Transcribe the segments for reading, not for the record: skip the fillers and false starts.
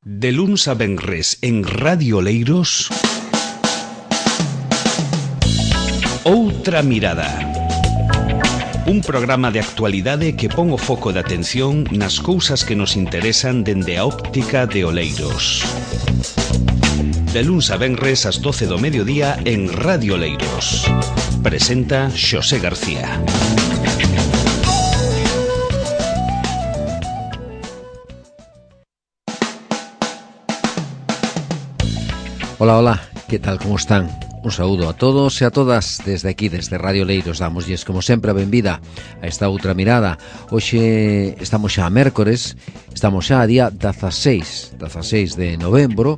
De luns a venres en Radio Oleiros, Outra Mirada. Un programa de actualidade que pon o foco de atención nas cousas que nos interesan dende a óptica de Oleiros. De luns a venres ás 12 do mediodía en Radio Oleiros. Presenta Xosé García. Hola, hola, que tal, como están? Un saúdo a todos e a todas desde aquí, desde Radio Oleiros. Damosles, como sempre, a benvida a esta outra mirada. Hoxe estamos xa a mércores, estamos xa a día 16 de novembro.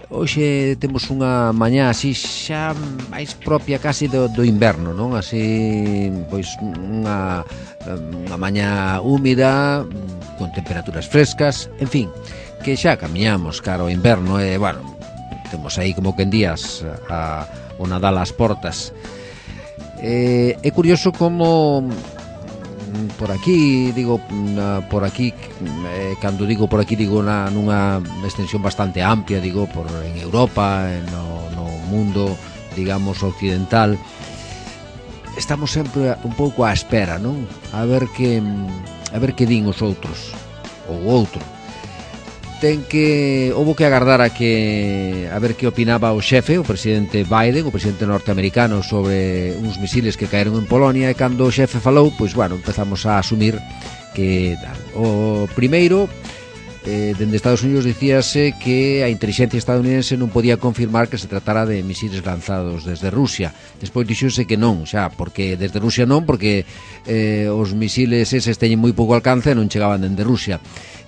Hoxe temos unha mañá así xa máis propia casi do inverno, non? Así, pois, unha mañá húmida, con temperaturas frescas, en fin, que xa camiñamos cara ao inverno e, bueno, temos aí como que en días o Nadal ás portas. É curioso como por aquí, digo por aquí, cando digo por aquí digo nunha extensión bastante amplia, digo en Europa, no mundo, digamos, occidental. Estamos sempre un pouco á espera, non? A ver que din os outros ou outro. Houbo que agardar a ver que opinaba o xefe, o presidente Biden, o presidente norteamericano, sobre uns misiles que caeron en Polonia, e cando o xefe falou, pois, bueno, empezamos a asumir que o primeiro, dende Estados Unidos dicíase que a inteligencia estadounidense non podía confirmar que se tratara de misiles lanzados desde Rusia. Despois dixose que non, xa, porque desde Rusia non, porque os misiles eses teñen moi pouco alcance e non chegaban dende Rusia.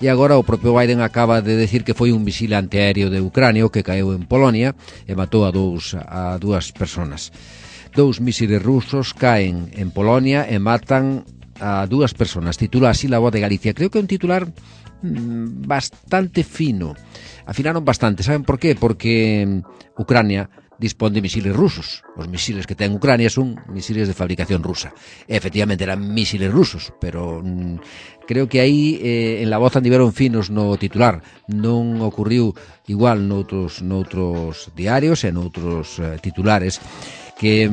E agora o propio Biden acaba de decir que foi un misil antiaéreo de Ucrania que caeu en Polonia e matou a dúas personas. 2 misiles rusos caen en Polonia e matan a 2 personas. Titula así La Voz de Galicia. Creo que é un titular bastante fino. Afinaron bastante, saben por qué? Porque Ucrania dispón de misiles rusos. Os misiles que ten Ucrania son misiles de fabricación rusa. Efectivamente eran misiles rusos, pero creo que aí en La Voz andiveron finos no titular. Non ocurriu igual noutros diarios e noutros titulares que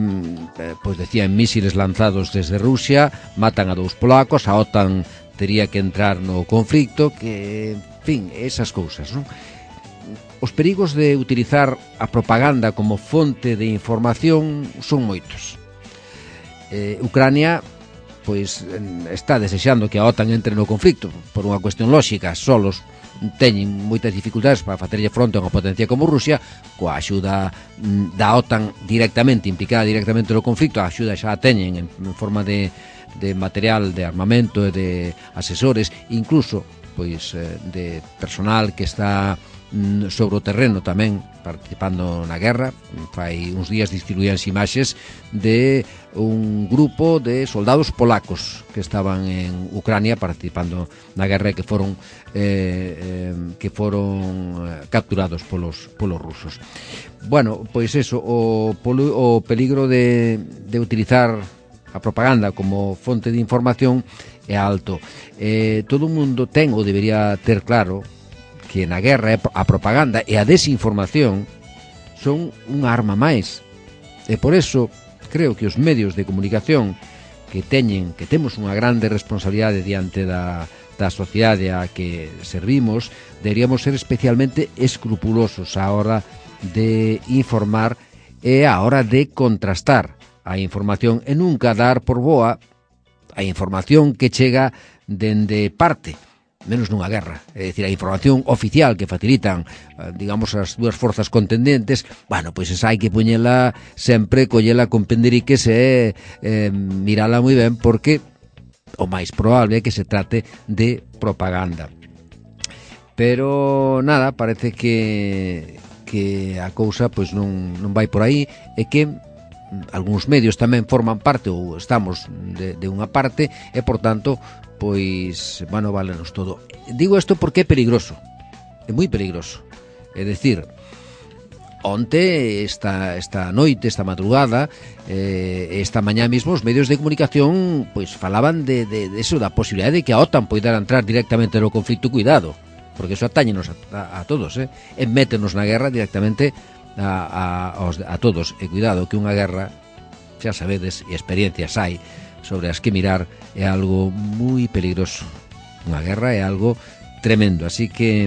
pois decían misiles lanzados desde Rusia, matan a 2 polacos, a OTAN tería que entrar no conflicto, que, en fin, esas cousas, non? Os perigos de utilizar a propaganda como fonte de información son moitos. Ucrania, pois, está desexando que a OTAN entre no conflicto, por unha cuestión lóxica, solos teñen moitas dificultades para facerlle fronte a unha potencia como Rusia. Coa axuda da OTAN directamente, implicada directamente no conflicto, a axuda xa a teñen en forma de material, de armamento e de asesores, incluso pois de personal que está sobre o terreno tamén participando na guerra. Fai uns días distribuíanse imaxes de un grupo de soldados polacos que estaban en Ucrania participando na guerra e que foron capturados polos rusos. Bueno, pois eso, o peligro de utilizar a propaganda como fonte de información é alto. Todo o mundo ten ou debería ter claro que na guerra a propaganda e a desinformación son unha arma máis. E por eso creo que os medios de comunicación que temos unha grande responsabilidade diante da sociedade a que servimos, deberíamos ser especialmente escrupulosos á hora de informar e á hora de contrastar a información e nunca dar por boa a información que chega dende parte, menos nunha guerra. É dicir, a información oficial que facilitan, digamos, as 2 forzas contendentes, bueno, pois esa hai que poñela sempre, collela con penderiques e mirala moi ben, porque o máis probable é que se trate de propaganda. Pero nada, parece que a cousa pois non vai por aí, e que algúns medios tamén forman parte ou estamos de unha parte e, por tanto, pois, bueno, válenos todo. Digo isto porque é peligroso, é moi peligroso. É dicir, onte, esta noite, esta madrugada, esta mañá mismo, os medios de comunicación pois falaban de eso, da posibilidade de que a OTAN poidera entrar directamente no conflito. Cuidado, porque eso atáñenos a todos, e métenos na guerra directamente a todos. E cuidado, que unha guerra, xa sabedes, e experiencias hai sobre as que mirar, é algo moi peligroso. Unha guerra é algo tremendo, así que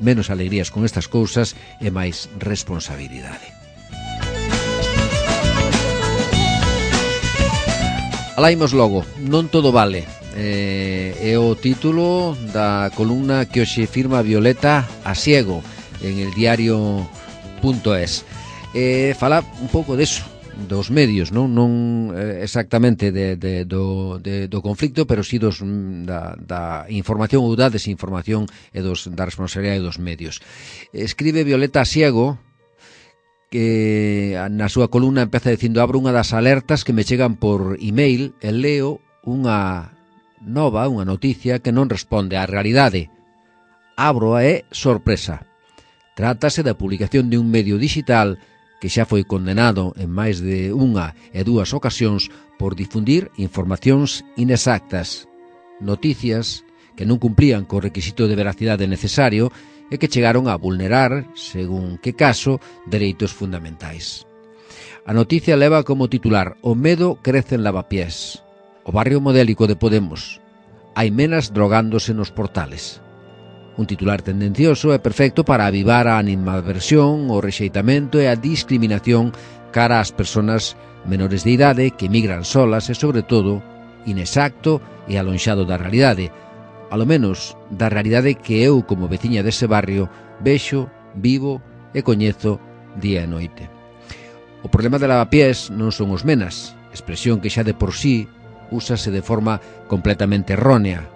menos alegrías con estas cousas e máis responsabilidade. Alaimos logo, non todo vale. É o título da columna que hoxe firma Violeta Asiego en el diario.es. Fala un pouco deso, dos medios, non exactamente do conflicto, pero si da información ou da desinformación e da responsabilidade dos medios. Escribe Violeta Asiego que na súa columna empeza dicindo: abro unha das alertas que me chegan por email e leo unha noticia que non responde á realidade. Abro e sorpresa. Trátase da publicación de un medio digital que xa foi condenado en máis de unha e dúas ocasións por difundir informacións inexactas, noticias que non cumplían co requisito de veracidade necesario e que chegaron a vulnerar, según que caso, dereitos fundamentais. A noticia leva como titular: o medo crece en Lavapiés. O barrio modélico de Podemos. Hai menas drogándose nos portales. Un titular tendencioso e perfecto para avivar a animadversión, o rexeitamento e a discriminación cara ás persoas menores de idade que migran solas e, sobre todo, inexacto e alonxado da realidade. Alo menos da realidade que eu, como veciña dese barrio, vexo, vivo e coñezo día e noite. O problema de Lavapiés non son os menas, expresión que xa de por sí úsase de forma completamente errónea.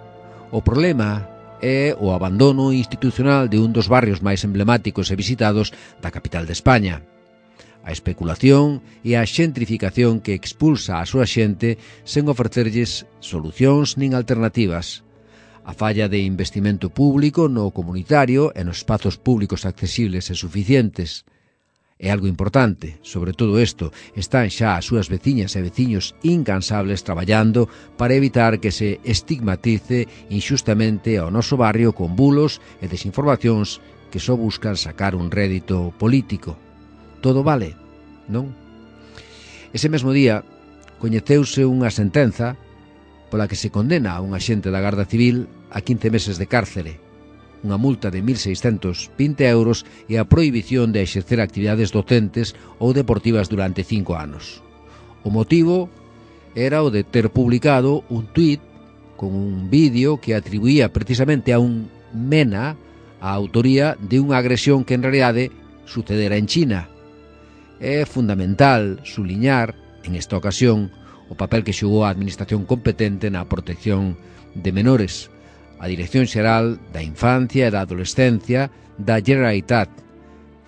O problema é o abandono institucional de un dos barrios máis emblemáticos e visitados da capital de España. A especulación e a xentrificación que expulsa a súa xente sen ofrecerlles solucións nin alternativas. A falla de investimento público no comunitario e nos espazos públicos accesibles e suficientes. É algo importante, sobre todo isto, están xa as súas veciñas e veciños incansables traballando para evitar que se estigmatice inxustamente ao noso barrio con bulos e desinformacións que só buscan sacar un rédito político. Todo vale, non? Ese mesmo día coñeceuse unha sentenza pola que se condena a un axente da Garda Civil a 15 meses de cárcere, unha multa de 1.620 euros e a prohibición de exercer actividades docentes ou deportivas durante 5 anos. O motivo era o de ter publicado un tuit con un vídeo que atribuía precisamente a un mena a autoría de unha agresión que en realidade sucedera en China. É fundamental suliñar, en esta ocasión, o papel que xogou a administración competente na protección de menores, a Dirección Xeral da Infancia e da Adolescencia da Generalitat.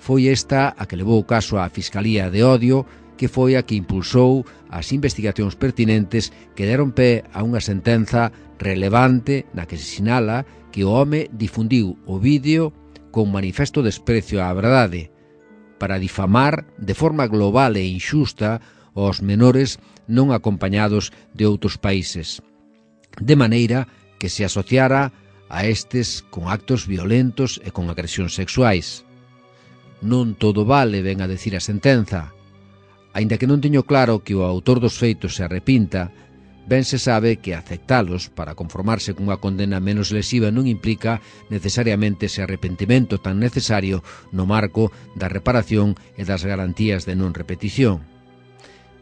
Foi esta a que levou o caso á Fiscalía de Odio, que foi a que impulsou as investigacións pertinentes que deron pé a unha sentenza relevante na que se sinala que o home difundiu o vídeo con manifesto desprecio á verdade para difamar de forma global e inxusta aos menores non acompañados de outros países, de maneira que se asociara a estes con actos violentos e con agresións sexuais. Non todo vale, ven a decir a sentenza. Aínda que non teño claro que o autor dos feitos se arrepinta, ben se sabe que aceptalos para conformarse cunha condena menos lesiva non implica necesariamente ese arrepentimento tan necesario no marco da reparación e das garantías de non repetición.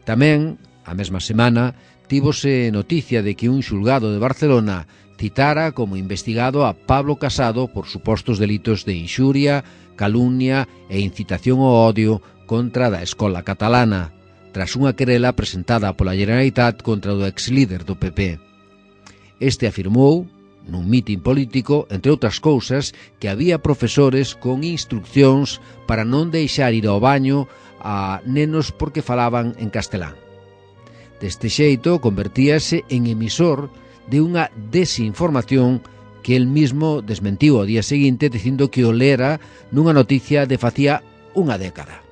Tamén, a mesma semana, tívose noticia de que un xulgado de Barcelona citara como investigado a Pablo Casado por supostos delitos de inxuria, calumnia e incitación ao odio contra da escola catalana, tras unha querela presentada pola Generalitat contra o ex-líder do PP. Este afirmou, nun mitin político, entre outras cousas, que había profesores con instruccións para non deixar ir ao baño a nenos porque falaban en castelán. Deste xeito, convertíase en emisor de unha desinformación que el mismo desmentiu ao día seguinte dicindo que o lera nunha noticia de facía unha década.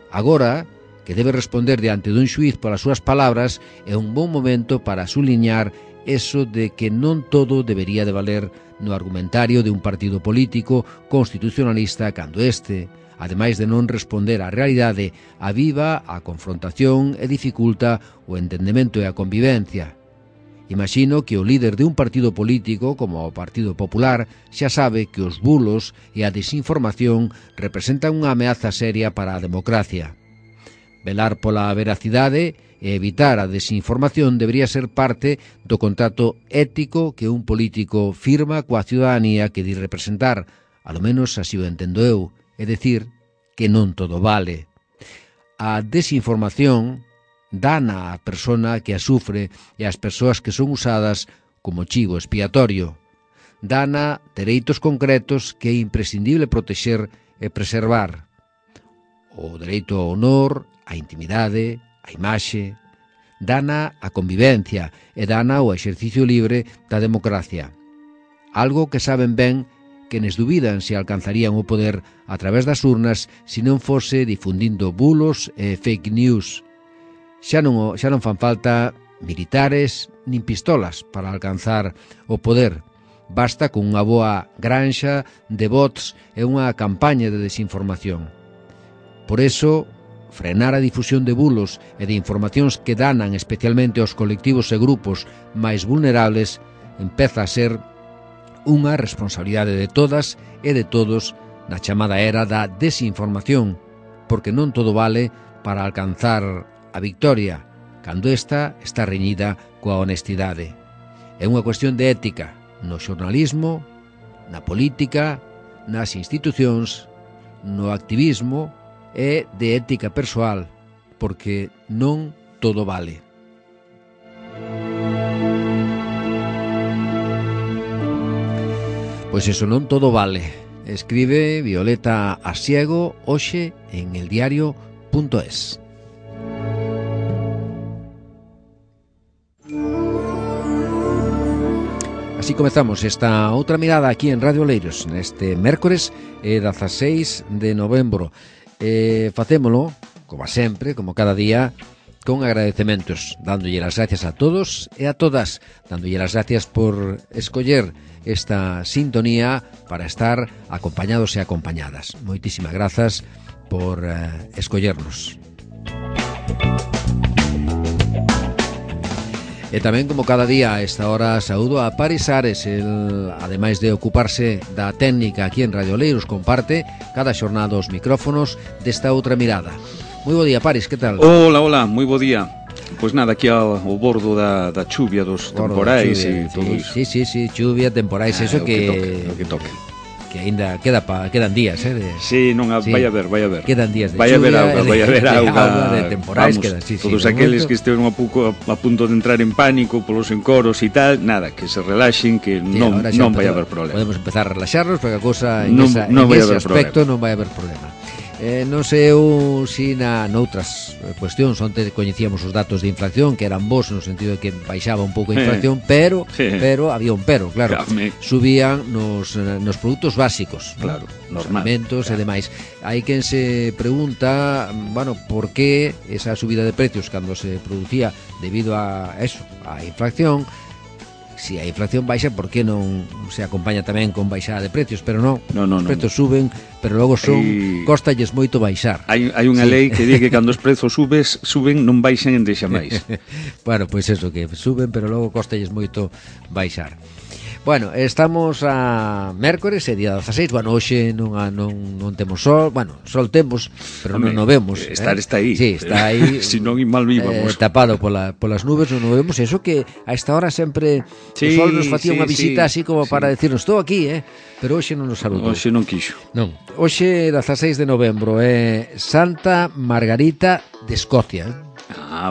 Agora, que debe responder diante dun xuiz polas súas palabras, é un bon momento para suliñar eso de que non todo debería de valer no argumentario de un partido político constitucionalista cando este, ademais de non responder á realidade, aviva a confrontación e dificulta o entendemento e a convivencia. Imagino que o líder de un partido político como o Partido Popular xa sabe que os bulos e a desinformación representan unha ameaza seria para a democracia. Velar pola veracidade e evitar a desinformación debería ser parte do contrato ético que un político firma coa ciudadanía que di representar, alo menos así o entendo eu, é dicir, que non todo vale. A desinformación dana á persona que a sufre e ás persoas que son usadas como chivo expiatorio. Dana dereitos concretos que é imprescindible protexer e preservar. O dereito ao honor, a intimidade, a imaxe, dana a convivencia e dana o exercicio libre da democracia. Algo que saben ben quenes dubidan se alcanzarían o poder a través das urnas se non fose difundindo bulos e fake news. Xa non fan falta militares nin pistolas para alcanzar o poder. Basta con unha boa granxa de bots e unha campaña de desinformación. Por eso, frenar a difusión de bulos e de informacións que danan especialmente aos colectivos e grupos máis vulnerables empeza a ser unha responsabilidade de todas e de todos na chamada era da desinformación, porque non todo vale para alcanzar a victoria, cando esta está reñida coa honestidade. É unha cuestión de ética no xornalismo, na política, nas institucións, no activismo e de ética persoal, porque non todo vale. Pois eso, non todo vale. Escribe Violeta Asiego hoxe en eldiario.es. Así comezamos esta outra mirada aquí en Radio Oleiros neste mércores 16 de novembro. Facémolo, como sempre, como cada día, con agradecementos, dándolle as gracias a todos e a todas, dándolle as gracias por escoller esta sintonía para estar acompañados e acompañadas. Moitísimas grazas por escollernos. E tamén, como cada día, a esta hora, saúdo a Paris Ares. El, ademais de ocuparse da técnica aquí en Radio Oleiros, comparte cada xornada os micrófonos desta outra mirada. Moi bo día, Paris, que tal? Hola, hola, moi bo día. Pois nada, aquí ao bordo da chuvia dos temporais e todo iso. Sí, chuvia, temporais, eso que toque. Que aínda quedan días, Sí, non, sí. vai a ver. Quedan días de vai chuvia, vai haber auga, de temporais, vamos, quedan, sí, todos momento... aqueles que esteven a punto de entrar en pánico polos encoros e tal, nada, que se relaxen, que sí, non vai haber problema. Podemos empezar a relaxarnos, porque a cousa en non ese aspecto non vai haber problema. Non sei eu si noutras cuestións onde coñecíamos os datos de inflación que eran bons no sentido de que baixaba un pouco a inflación, pero había un pero, claro. Subían nos produtos básicos, claro, nos alimentos e demais. Hai quen se pregunta, bueno, por que esa subida de precios cando se producía debido a eso, a inflación. Si a inflación baixa, por que non se acompaña tamén con baixada de precios? Pero non, os prezos suben, pero logo costalles moito baixar. Hai unha lei que di que cando os prezos suben non baixan en deixa máis. Bueno, pois eso, que suben, pero logo costalles moito baixar. Bueno, estamos a mércores, é día 16. Bueno, hoxe non temos sol. Bueno, sol temos, pero non o vemos. Está aí. Sí, está aí. Si non, mal víbamos. Tapado polas nubes, non o vemos. Eso que a esta hora sempre o sol nos facía unha visita así como para decirnos, estou aquí, pero hoxe non nos saludou. Hoxe non quixo. Non. Hoxe, 16 de novembro, é Santa Margarita de Escocia,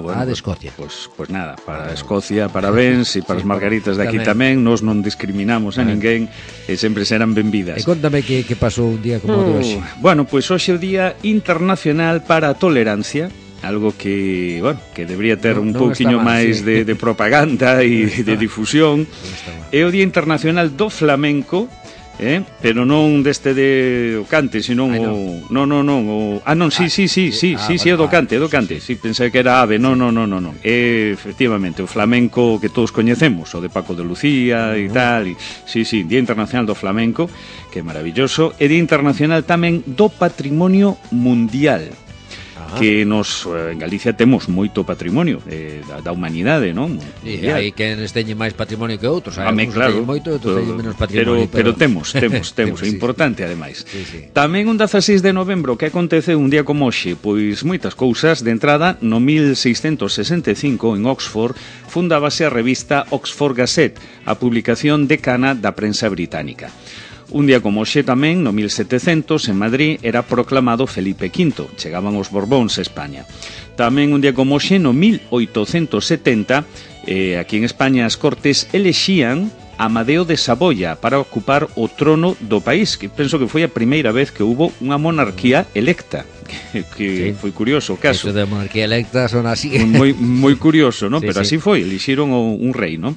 bueno, de Escocia. Pues nada, para Escocia, parabéns, e para as margaritas de aquí tamén, nos non discriminamos a ninguén e sempre serán benvidas. E contame que pasou un día como o de hoxe. Bueno, pois hoxe é o Día Internacional para a Tolerancia, algo que, bueno, que debería ter un pouquiño máis de propaganda e de difusión. É o Día Internacional do Flamenco, pero non deste de o cante, senón o... Non, sí, é do cante, sí, pensei que era ave, non. Efectivamente, o flamenco que todos coñecemos, o de Paco de Lucía e tal, sí, Día Internacional do Flamenco, que é maravilloso, e Día Internacional tamén do Patrimonio Mundial, que nos en Galicia temos moito patrimonio da humanidade, non? E hai quen teñen máis patrimonio que outros, hai algúns claro, teñen moito e outros teñen menos patrimonio, pero temos, é importante ademais. Sí. Tamén un 16 de novembro que acontece un día como hoxe, pois moitas cousas. De entrada, no 1665 en Oxford fundábase a revista Oxford Gazette, a publicación decana da prensa británica. Un día como hoxe tamén, no 1700, en Madrid, era proclamado Felipe V. Chegaban os Borbóns a España. Tamén un día como hoxe, no 1870, aquí en España as Cortes elexían Amadeo de Saboya para ocupar o trono do país, que penso que foi a primeira vez que hubo unha monarquía electa, que foi curioso o caso. Eso de monarquía electa son así. Moi curioso, non? Sí, Pero así foi, elixiron un rei, non?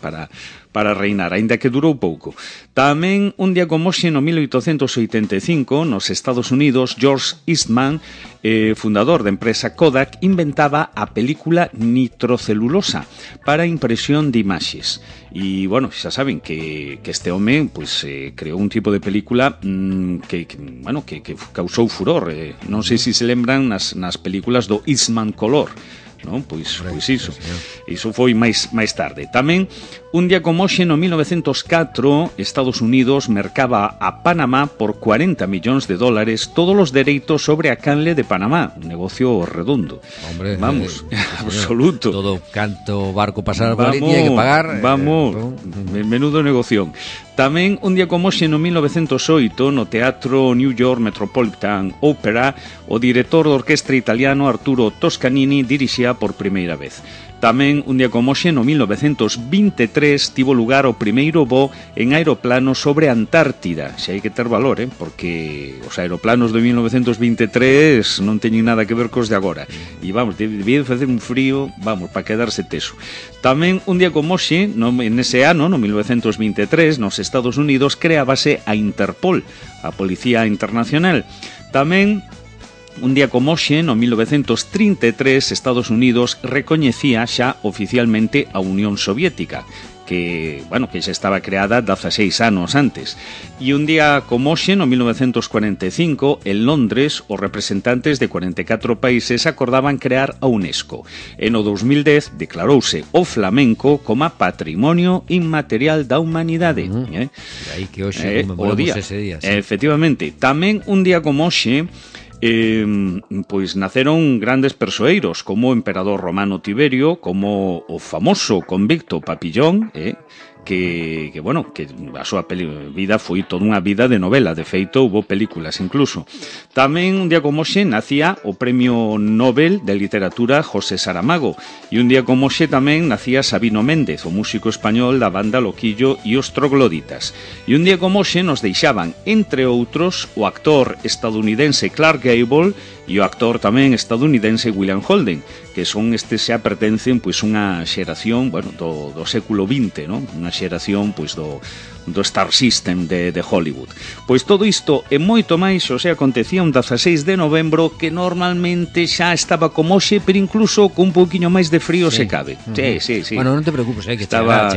Para reinar, aínda que durou pouco. Tamén un día como hoxe, no 1885, nos Estados Unidos, George Eastman, fundador da empresa Kodak, inventaba a película nitrocelulosa para impresión de imaxes. E, bueno, xa saben que este home pues, creou un tipo de película que causou furor. Non sei se lembran nas películas do Eastman Color. Non? Pois iso foi máis tarde. Tamén, un día como hoxe, no 1904, Estados Unidos mercaba a Panamá por $40 millóns todos os dereitos sobre a canle de Panamá. Un negocio redondo. Hombre, vamos, absoluto. Todo canto barco pasar por ali tiña que pagar. Vamos, menudo negoción. Tamén, un día como hoxe, no 1908, no Teatro New York Metropolitan Opera, o director da orquestra italiano Arturo Toscanini dirixía por primeira vez. Tamén, un día como hoxe, no 1923, tivo lugar o primeiro voo en aeroplano sobre a Antártida. Xa hai que ter valor, porque os aeroplanos de 1923 non teñen nada que ver cos de agora. E vamos, debía facer un frío, vamos, para quedarse teso. Tamén, un día como hoxe, en ese ano, no 1923, nos Estados Unidos, creábase a Interpol, a Policía Internacional. Tamén, un día como hoxe, no 1933, Estados Unidos recoñecía xa oficialmente a Unión Soviética, que xa estaba creada 16 anos antes. E un día como hoxe, no 1945, en Londres, os representantes de 44 países acordaban crear a UNESCO. E no 2010 declarouse o flamenco como Patrimonio Inmaterial da Humanidade. E aí que hoxe conmemoramos ese día. Sí. Efectivamente. Tamén un día como hoxe, pois naceron grandes persoeiros como o emperador romano Tiberio, como o famoso convicto Papillón, que a súa vida foi toda unha vida de novela. De feito, houve películas incluso. Tamén un día como hoxe nacía o Premio Nobel de Literatura José Saramago, e un día como hoxe tamén nacía Sabino Méndez, o músico español da banda Loquillo e os Trogloditas. E un día como hoxe nos deixaban, entre outros, o actor estadounidense Clark Gable e o actor tamén estadounidense William Holden, que son xa pertencen pois unha xeración, do século XX, non? Unha xeración pois do Star System de Hollywood. Pois todo isto e moito máis acontecía un 16 de novembro, que normalmente xa estaba como hoxe, pero incluso con un pouquiño máis de frío se cabe. Sí. Bueno, non te preocupes, que estaba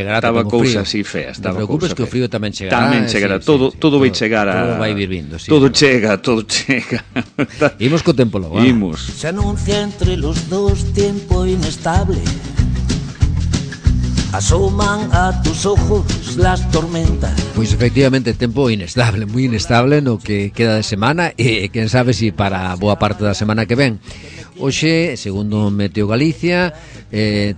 cousa así fea. Non te preocupes que o frío tamén chegará. Tamén chegará, todo vai chegar a... Todo vai vir vindo, sí. Todo chega. Imos co tempo logo. Imos. Se anuncia entre los dos tiempo inestable. Asoman a tus ojos las tormentas. Pois efectivamente, tempo inestable, moi inestable no que queda de semana, e quen sabe si para boa parte da semana que ven. Hoxe, segundo Meteo Galicia,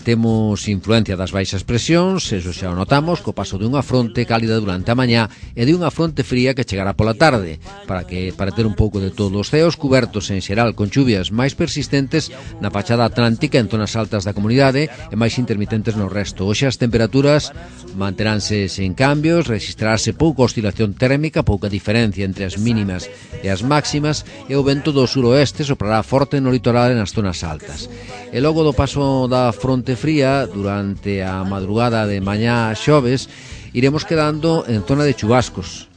temos influencia das baixas presións, eso xa o notamos, co paso dunha fronte cálida durante a mañá e de unha fronte fría que chegará pola tarde, para ter un pouco de todo. Os ceos cubertos en xeral con chuvias máis persistentes na fachada atlántica en zonas altas da comunidade e máis intermitentes no resto. Hoxe as temperaturas manteránse sen cambios, registrarse pouca oscilación térmica, pouca diferencia entre as mínimas e as máximas, e o vento do suroeste soprará forte no litoral nas zonas altas. E logo do paso da fronte fría, durante a madrugada de mañá xoves, iremos quedando en zona de chubascos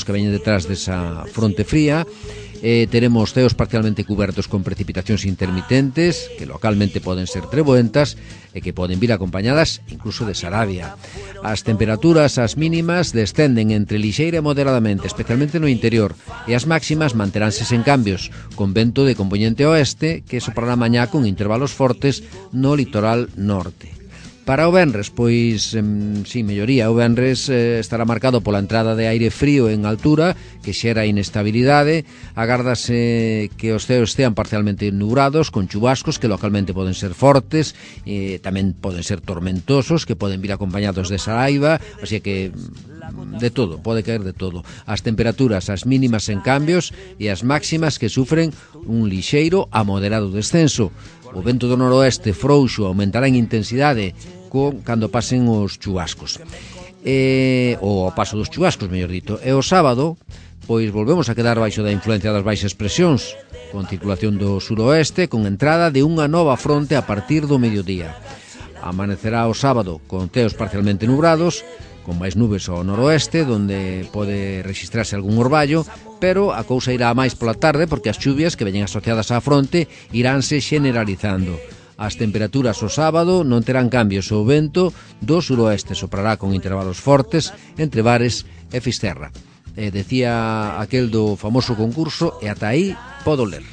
que veñen detrás desa fronte fría. Teremos ceos parcialmente cubertos con precipitacións intermitentes, que localmente poden ser treboentas e que poden vir acompañadas incluso de sarabia. As temperaturas, as mínimas, descenden entre lixeira e moderadamente, especialmente no interior, e as máximas manteránse sen cambios, con vento de compoñente oeste que soprará mañá con intervalos fortes no litoral norte. Para o venres, pois, sí, melloría, o venres estará marcado pola entrada de aire frío en altura, que xera inestabilidade. Agárdase que os ceos estean parcialmente nubrados, con chubascos que localmente poden ser fortes, tamén poden ser tormentosos, que poden vir acompañados de saraiva, así que de todo, pode caer de todo. As temperaturas, as mínimas en cambios, e as máximas que sufren un lixeiro a moderado descenso. O vento do noroeste frouxo aumentará en intensidade cando pasen os chubascos. Ou ao paso dos chubascos, mellor dito. E o sábado, pois volvemos a quedar baixo da influencia das baixas presións, con circulación do suroeste, con entrada de unha nova fronte a partir do mediodía. Amanecerá o sábado con ceos parcialmente nubrados, con máis nubes ao noroeste, donde pode registrarse algún orballo, pero a cousa irá máis pola tarde porque as chuvias que veñen asociadas á fronte iránse generalizando. As temperaturas o sábado non terán cambios, o vento do suroeste soprará con intervalos fortes entre Bares e Fisterra. Decía aquel do famoso concurso, e ata aí podo ler.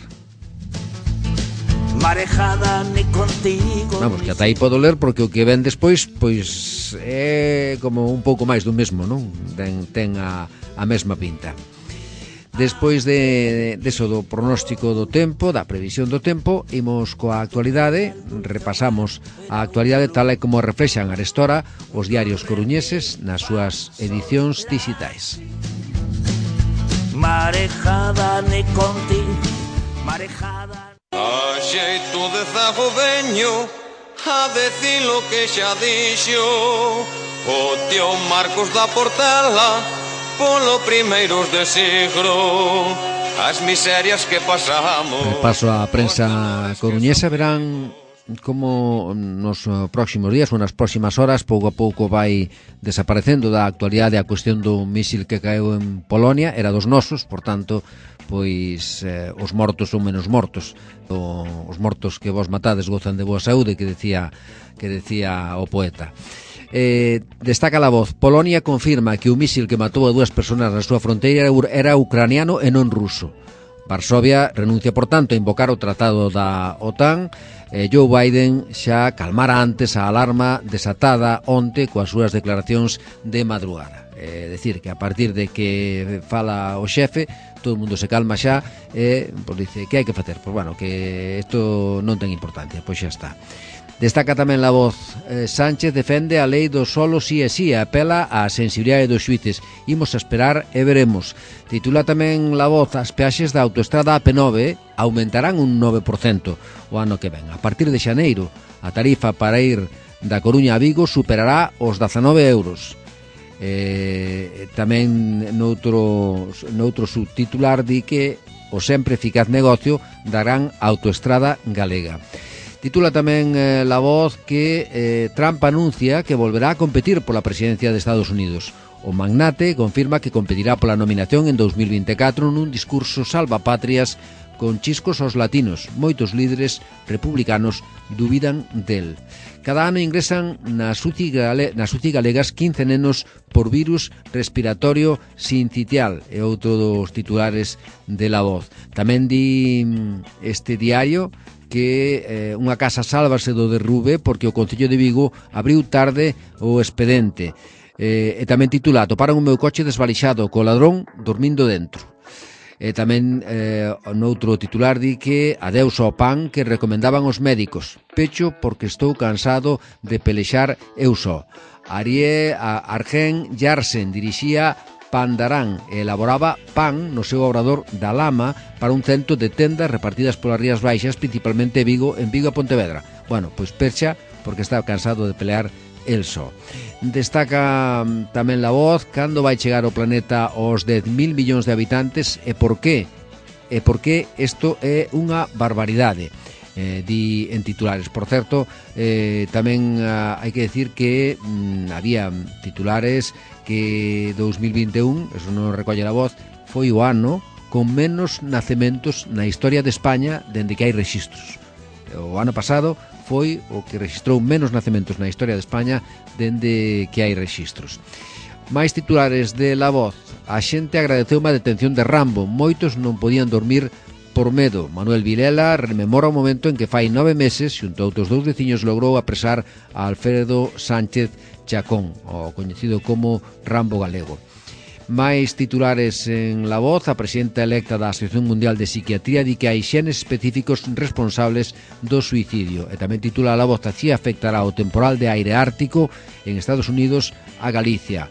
Marejada ni contigo. Vamos, que ata aí podo ler porque o que ven despois pois é como un pouco máis do mesmo, non? Ten a mesma pinta. Despois de eso do pronóstico do tempo, da previsión do tempo, imos coa actualidade, repasamos a actualidade tal e como reflexan arestora os diarios coruñeses nas súas edicións digitais. Marejada ni contigo. Marejada. A xeito de zago veño a decir lo que xa dixo o tío Marcos da Portela polo primeiros de siglo, as miserias que pasamos. Paso a prensa coruñesa, verán como nos próximos días ou nas próximas horas pouco a pouco vai desaparecendo da actualidade a cuestión do mísil que caeu en Polonia. Era dos nosos, por tanto, pois os mortos son menos mortos. Os mortos que vos matades gozan de boa saúde, que decía o poeta. Destaca La Voz: Polonia confirma que o mísil que matou a 2 persoas na súa fronteira era ucraniano e non ruso. Varsovia renuncia, por tanto, a invocar o tratado da OTAN. Joe Biden xa calmara antes a alarma desatada onte coas súas declaracións de madrugada. Decir que a partir de que fala o xefe, todo o mundo se calma xa e pois dice, que hai que facer? Pois bueno, que isto non ten importancia, pois xa está. Destaca tamén La Voz: Sánchez defende a lei do solo sí e sí e apela á sensibilidade dos xuíces. Imos a esperar e veremos. Titula tamén La Voz: as peaxes da autoestrada AP9 aumentarán un 9% o ano que ven. A partir de xaneiro, a tarifa para ir da Coruña a Vigo superará os 19 euros. Tamén noutro subtitular di que o sempre eficaz negocio da gran autoestrada galega. Titula tamén La Voz que Trump anuncia que volverá a competir pola presidencia de Estados Unidos. O magnate confirma que competirá pola nominación en 2024 nun discurso salvapatrias con chiscos aos latinos. Moitos líderes republicanos dubidan del. Cada ano ingresan nas UCI galegas 15 nenos por virus respiratorio sincitial, é outro dos titulares de La Voz. Tamén di este diario que unha casa sálvase do derrube porque o Concello de Vigo abriu tarde o expedente. E tamén titula: atoparon o meu coche desvalixado co ladrón dormindo dentro. Tamén noutro titular di que adeus ao pan que recomendaban os médicos. Pecho porque estou cansado de pelexar eu só. Arjen Jarsen dirixía Pandarán e elaboraba pan no seu obrador da Lama para un cento de tendas repartidas polas Rías Baixas, principalmente en Vigo e Pontevedra. Bueno, pois percha porque está cansado de pelear el só. Destaca tamén La Voz cando vai chegar o planeta aos 10.000 millóns de habitantes e por qué. E por que isto é unha barbaridade. di en titulares. Por certo, tamén hai que decir que había titulares que 2021, eso non recolle a voz, foi o ano con menos nacementos na historia de España dende que hai rexistros. O ano pasado foi o que registrou menos nacementos na historia de España dende que hai rexistros. Mais titulares de La Voz. A xente agradeceu unha detención de Rambo. Moitos non podían dormir por medo. Manuel Vilela rememora o momento en que fai 9 meses, xunto a outros 2 veciños, logrou apresar a Alfredo Sánchez Chacón, o coñecido como Rambo galego. Mais titulares en La Voz. A presidenta electa da Asociación Mundial de Psiquiatría di que hai xenes específicos responsables do suicidio. E tamén titula La Voz: así afectará o temporal de aire ártico en Estados Unidos a Galicia.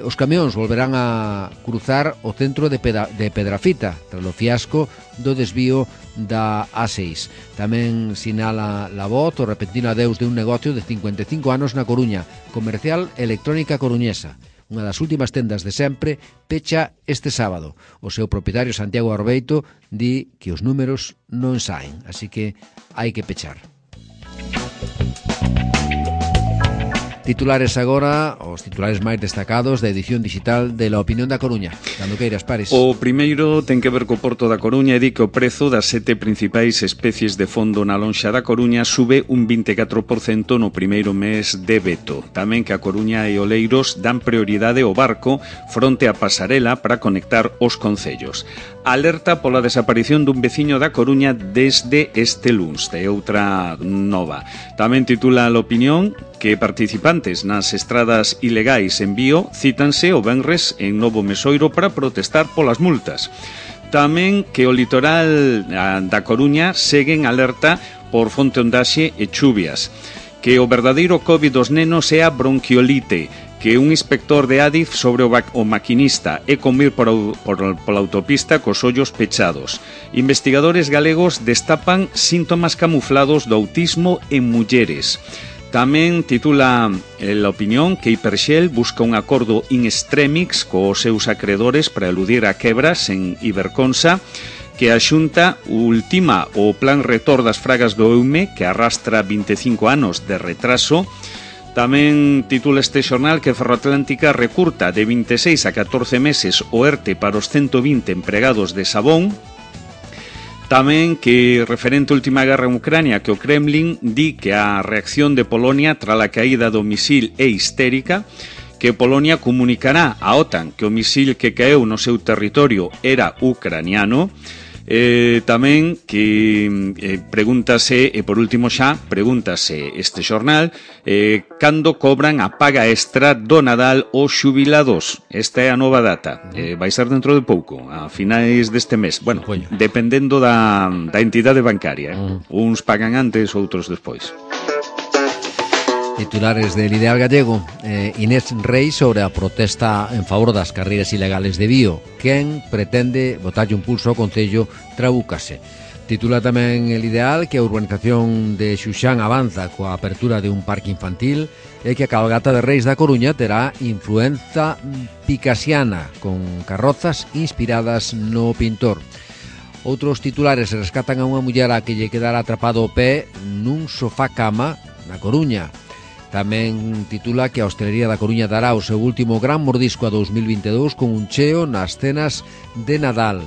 Os camións volverán a cruzar o centro de Pedrafita tras o fiasco do desvío da A6. Tamén sinala La Voz o repentino adeus de un negocio de 55 anos na Coruña, Comercial Electrónica Coruñesa. Unha das últimas tendas de sempre pecha este sábado. O seu propietario, Santiago Arbeito, di que os números non saen, así que hai que pechar. Titulares agora, os titulares máis destacados da edición digital de La Opinión da Coruña. Cando queiras, Pares. O primeiro ten que ver co Porto da Coruña e di que o prezo das 7 principais especies de fondo na lonxa da Coruña sube un 24% no primeiro mes de veto. Tamén que a Coruña e Oleiros dan prioridade ao barco fronte á pasarela para conectar os concellos. Alerta pola desaparición dun veciño da Coruña desde este luns, de outra nova. Tamén titula La Opinión que participantes nas estradas ilegais en Vío cítanse o venres en Novo Mesoiro para protestar polas multas. Tamén que o litoral da Coruña segue en alerta por fonte ondaxe e chuvias. Que o verdadeiro COVID dos nenos é a bronquiolite. Que un inspector de Adif sobre o maquinista e convir pola autopista cos ollos pechados. Investigadores galegos destapan síntomas camuflados do autismo en mulleres. Tamén titula La Opinión que Hiperxel busca un acordo in extremis cos seus acreedores para eludir a quebras en Iberconsa, que a Xunta ultima o plan retor das fragas do EUME, que arrastra 25 anos de retraso. Tamén titula este xornal que Ferroatlántica recurta de 26 a 14 meses o ERTE para os 120 empregados de Sabón. Tamén que, referente á última guerra en Ucrania, que o Kremlin di que a reacción de Polonia tras a caída do misil é histérica, que Polonia comunicará á OTAN que o misil que caeu no seu territorio era ucraniano. Tamén que pregúntase, e por último xa, pregúntase este xornal cando cobran a paga extra do Nadal os xubilados. Esta é a nova data, vai ser dentro de pouco, a finais deste mes. Bueno, dependendo da entidade bancaria, uns pagan antes, outros despois. Titulares del Ideal Gallego. Inés Rei sobre a protesta en favor das carreiras ilegales de Vío. Quen pretende botarlle un pulso ao Concello trabúcase. Titula tamén el Ideal que a urbanización de Xuxán avanza coa apertura de un parque infantil e que a cabalgata de Reis da Coruña terá influenza picasiana con carrozas inspiradas no pintor. Outros titulares rescatan a unha muller a que lle quedara atrapado o pé nun sofá cama na Coruña. Tamén titula que a hostelería da Coruña dará o seu último gran mordisco a 2022 con un cheo nas cenas de Nadal.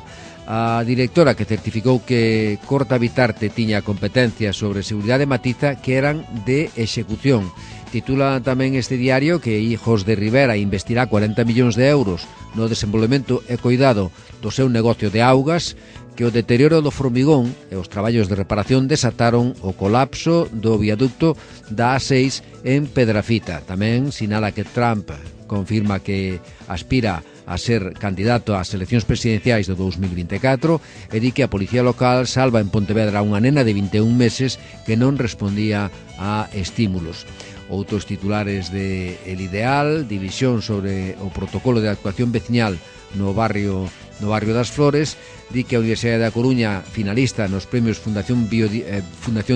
A directora que certificou que Corta Vitarte tiña competencias sobre seguridade matiza que eran de execución. Titula tamén este diario que Hijos de Rivera investirá 40 millóns de euros no desenvolvemento e cuidado do seu negocio de augas, que o deterioro do formigón e os traballos de reparación desataron o colapso do viaducto da A6 en Pedrafita. Tamén sinala que Trump confirma que aspira a ser candidato ás eleccións presidenciais do 2024 e di que a policía local salva en Pontevedra unha nena de 21 meses que non respondía a estímulos. Outros titulares de El Ideal, división sobre o protocolo de actuación veciñal no barrio das Flores, di que a Universidade da Coruña finalista nos premios Fundación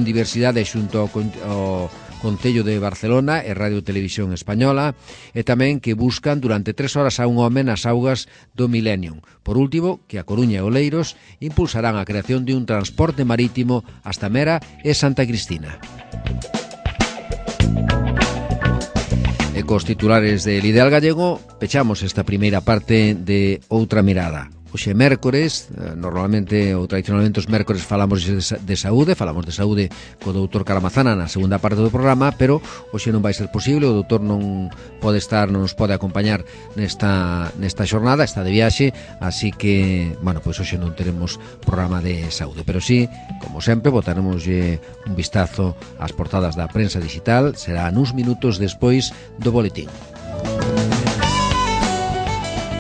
Diversidade xunto ao Concello de Barcelona e Radio Televisión Española, e tamén que buscan durante 3 horas a un home nas augas do Millennium. Por último, que a Coruña e Oleiros impulsarán a creación de un transporte marítimo hasta Mera e Santa Cristina. E cos titulares del Ideal Gallego pechamos esta primeira parte de Outra Mirada. Hoxe é mércores, normalmente ou tradicionalmente os mércores falamos de saúde co doutor Caramazana na segunda parte do programa, pero hoxe non vai ser posible, o doutor non nos pode acompañar nesta xornada, está de viaxe, así que, bueno, pois hoxe non teremos programa de saúde, pero sí, como sempre, botaremos un vistazo ás portadas da prensa digital, será nuns minutos despois do boletín.